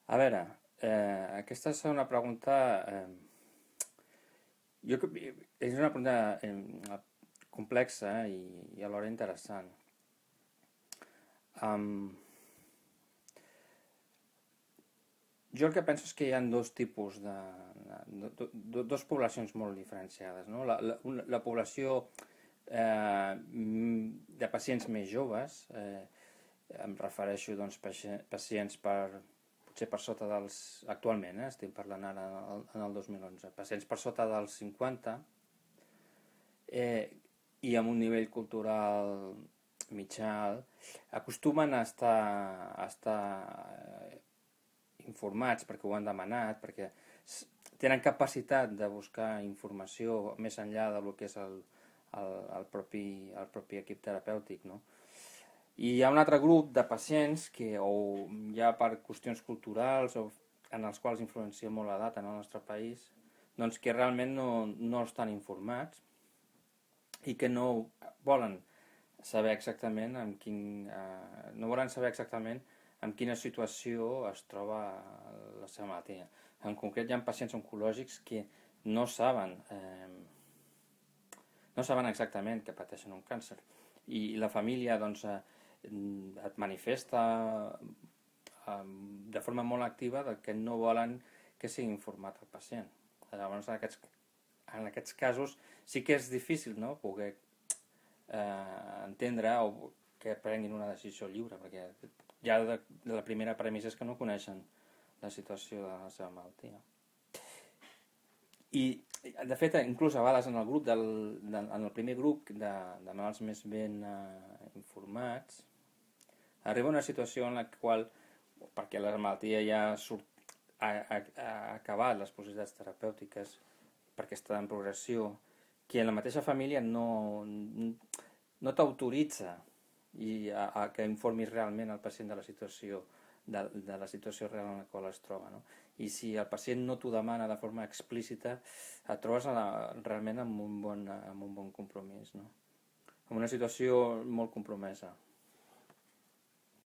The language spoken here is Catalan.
A veure, aquesta és una pregunta... és una pregunta complexa i alhora interessant. Um, jo el que penso és que hi ha dos tipus dos poblacions molt diferenciades, no? La població de pacients més joves, em refereixo doncs pacients potser per sota dels, actualment, estic parlant ara en el 2011, pacients per sota dels 50 i amb un nivell cultural mitjà alt, acostumen a estar informats perquè ho han demanat, perquè tenen capacitat de buscar informació més enllà del que és el propi equip terapèutic, no? I hi ha un altre grup de pacients que o ja per qüestions culturals o en els quals influencia molt l'edat en el nostre país, doncs que realment no estan informats i que no volen saber exactament no volen saber exactament en quina situació es troba la seva malaltia. En concret, hi ha pacients oncològics que no saben, no saben exactament que pateixen un càncer i la família doncs, et manifesta de forma molt activa que no volen que sigui informat el pacient. Llavors, en aquests casos sí que és difícil, no?, poder entendre o que prenguin una decisió lliure, perquè ja de la primera premissa és que no coneixen la situació de la seva malaltia. I, de fet, inclús a vegades en el primer grup de malalts més ben informats, arriba una situació en la qual, perquè la malaltia ja ha acabat les possibilitats terapèutiques, perquè està en progressió, que la mateixa família no t'autoritza a que informis realment el pacient de la situació real en la qual es troba, no? I si el pacient no t'ho demana de forma explícita, et trobes realment amb un bon compromís, no? Amb una situació molt compromesa.